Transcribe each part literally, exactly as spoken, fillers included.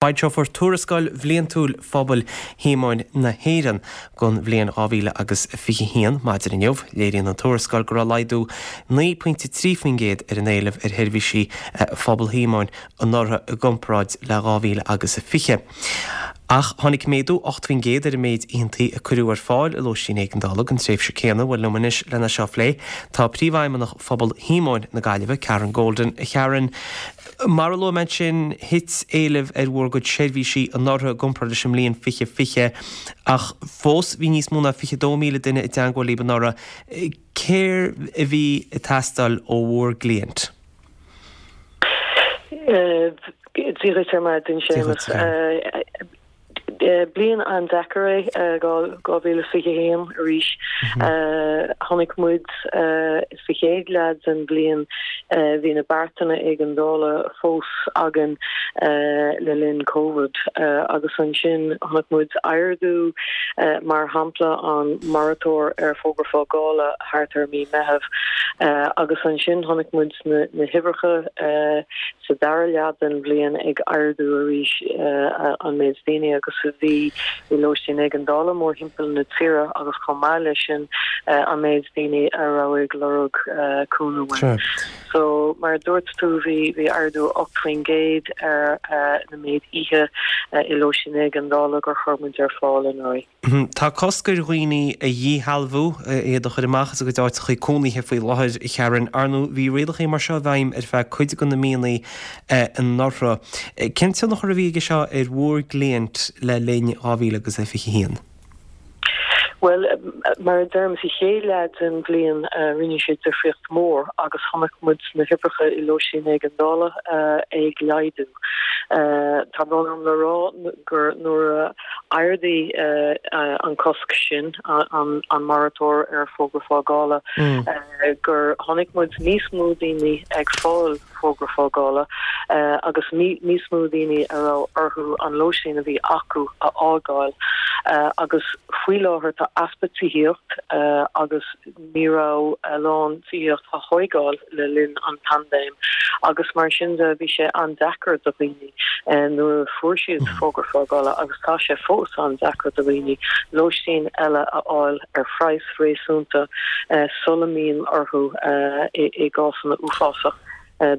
Foilseofar tuarascáil bhliantúil Phobal Shíomóin na hÉireann don bhliain dhá mhíle agus fiche haon maidin inniu. Léiríonn an tuarascáil go raibh laghdú naoi pointe trí faoin gcéad ar an éileamh ar sheirbhísí Phobal Shíomóin anuraidh i gcomparáid le dhá mhíle agus fiche. Ach tháinig méadú ocht faoin gcéad ar an méid oícheantaí a cuireadh ar fáil i lóistín éigeandála don tréimhse céanna. Bhuel liom anois lena seo a phlé tá Príomhfheidhmeannach Phobal Shíomóin na Gaillimhe, Karen Golden. A Karen, Mar a luaigh mé ansin, thit éileamh ar bhur gcuid seirbhísí anuraidh i gcomparáid leis an mbliain fiche fiche, ach fós bhí níos mó ná fiche dó míle duine i dteangmháil libh anuraidh. Céard a bhí ag teastáil ó bhur gcliaint? Dia dhuit ar maidin, Séamus. Bliain an-deacair é dhá mhíle is fiche a haon arís. Chonaic muid sa chéad leath den bhliain, bhí na beartanna éigeandála fós againn le linn Covid agus ansin chonaic muid ardú, mar shampla an moratóir ar fógra fágála thart ar mí Meitheamh agus ansin chonaic muid na huimhreacha sa dara leath den bhliain ag ardú arís an méid daoine agus a bhí i lóistín éigeandála mórthimpeall na tíre agus chomh maith leis sin an méid daoine a raibh ag lorg cúnamh uainn. So mar a dúirt tú bhí bhí ardú ocht faoin gcéad ar na méid oíche i lóistín éigeandála gur chuir muid ar fáil anuraidh. Tá cosc ar dhaoine a dhíshealbhú, iad a chur amach as a gcuid áiteacha cónaithe faoi láthair, a Karen. Ar ndóigh, bhí rialacha mar seo i bhfeidhm ar feadh cuid de na míonna anuraidh. Cén tionchar a bhí aige seo ar bhur gcliaint le linn dhá mhíle agus a fiche a haon? Bhuel, mar a deirim, sa chéad leath den bhliain rinne sé difríocht mhór agus chonaic muid na huimhreacha i lóistín éigeandála ag laghdú. Tá brón orm le rá gur nuair a ardaíodh an cosc sin, an moratóir ar fógra fágála, gur chonaic muid níos mó daoine ag fáil fógra fágála agus níos mó daoine a raibh orthu an lóistín a bhí acu a fhágáil agus faoi láthair tá easpa tithíocht agus ní raibh a lán tithíocht á thóigeáil le linn an paindéim agus mar sin de bhí sé an-deacair do dhaoine nuair a fuair siad fógra fágála agus tá sé fós an-deacair do dhaoine lóistín eile a fháil ar phraghas réasúnta sula mbíonn orthu i gcásanna uafásach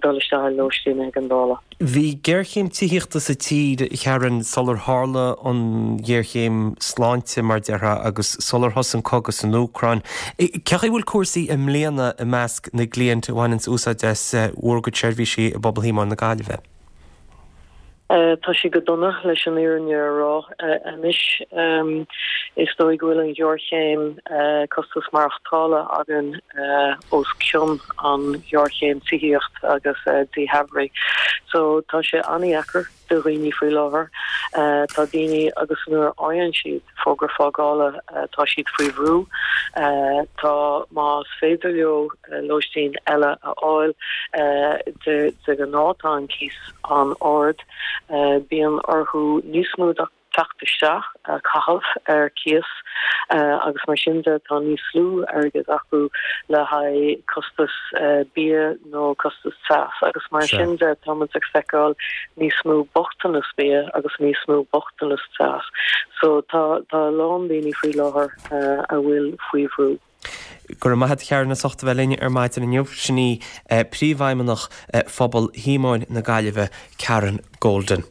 dul isteach i lóistín éigeandála. Bhí géarchéim tithíochta sa tír, a Karen, sular tharla an ghéarchéim sláinte, mar a déarfá, agus sular thosaigh an cogadh san Úcráin. Cén chaoi a bhfuil cúrsaí i mbliana i measc na gcliant a bhaineanns úsáid as bhur gcuid seirbhísí i bPobal Shíomóin na Gaillimhe? Tá sé go dona, leis an fhírinne a rá. Anois, is dóigh go bhfuil an ghéarchéim costas maireachtála againn os cionn an ghéarchéim tithíocht agus díshealbhaithe. So tá sé an-dheacair do dhaoine faoi láthair. Tá daoine agus nuair a fhaigheann siad fógra fágála tá siad faoi bhrú. Tá más féidir leo lóistín eile a fháil de ghnáth tá an cíos an-ard. Bíonn orthu níos mó teacht isteach a chaitheamh ar cíos agus mar sin de tá níos lú airgead acu le haghaidh costas bia nó costas teas agus mar sin de tá muid ag feiceáil níos mó bochtanas bia agus níos mó bochtanas teas. So tá tá a lán daoine faoi láthair a bhfuil faoi bhrú. Go raibh maith agat a Karen as ucht a bheith linn ar maidin inniu. Sin í Príomhfheidhmeannach Phobal Shíomóin na Gaillimhe, Karen Golden.